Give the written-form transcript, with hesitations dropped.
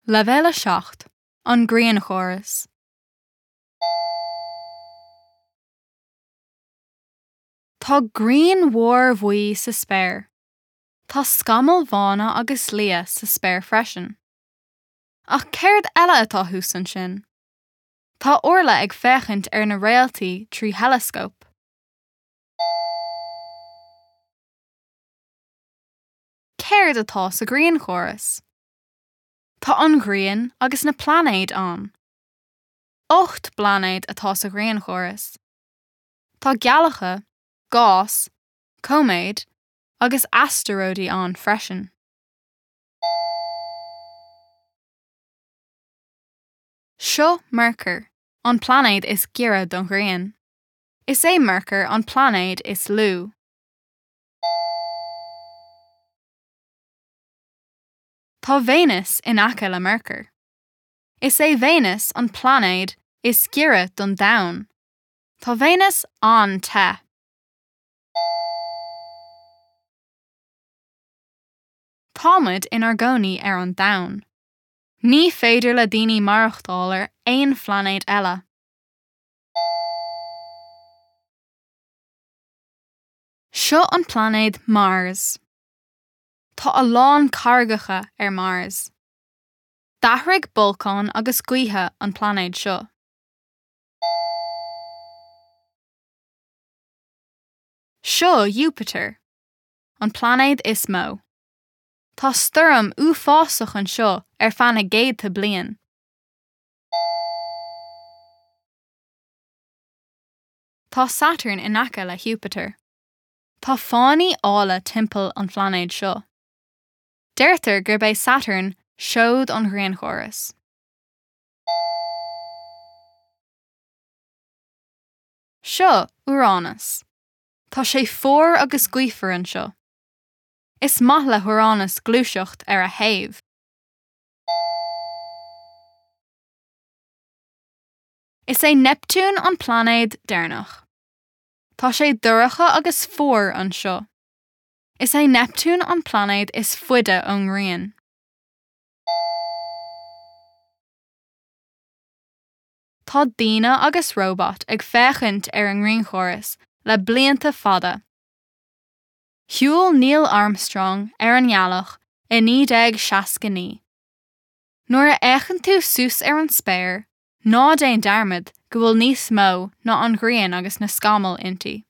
Leibhéal 7, An Grianchóras. Tá grian mhór bhuí sa spéir. Tá scamaill bhána agus liath sa spéir freisin. Ach céard eile atá thuas ansin? Tá Orla ag féachaint ar na réaltaí trí theileascóp. Céard atá sa ghrianchóras? Tá an Ghrian agus na pláinéid ann. 8 bpláinéad atá sa ghrianchóras. Tá gealacha, gás, cóiméid agus astaróidí ann freisin. Seo Mearcair, an pláinéad is giorra don Ghrian. Is é Mearcair an pláinéad is lú. Tá Véineas in aice le Mearcair. Is é Véineas an pláinéad is giorra don Domhan. Tá Véineas an-te. Táimid inár gcónaí ar an Domhan. Ní féidir le daoine maireachtáil ar aon phláinéad eile. Seo an pláinéad Mars. Tá a lán carraigeacha ar Mars. D'athraigh bolcáin agus gaotha an pláinéad seo. Seo Iúpatar, an pláinéad is mó. Tá stoirm uafásach anseo ar feadh na gcéadta bliain. Tá Satarn in aice le hIúpatar. Tá fáinní áille timpeall an phláinéid seo. Deirtear gurb é Satarn seoid an ghrianchórais. Seo Úránas. Tá sé fuar agus gaofar anseo. Is maith le hÚránas gluaiseacht ar a thaobh. Is é Neiptiún an pláinéad deireanach. Tá sé dorcha agus fuar anseo. Is é Neiptiún an pláinéad is faide ón nGrian. Tá daoine agus róbait ag féachaint ar an ngrianchóras le blianta fada. Shiúil Neil Armstrong ar an ngealach i 1969. Nuair a fhéachann tú suas ar an spéir, ná déan dearmad go bhfuil níos mó ná an ghrian agus na scamaill inti.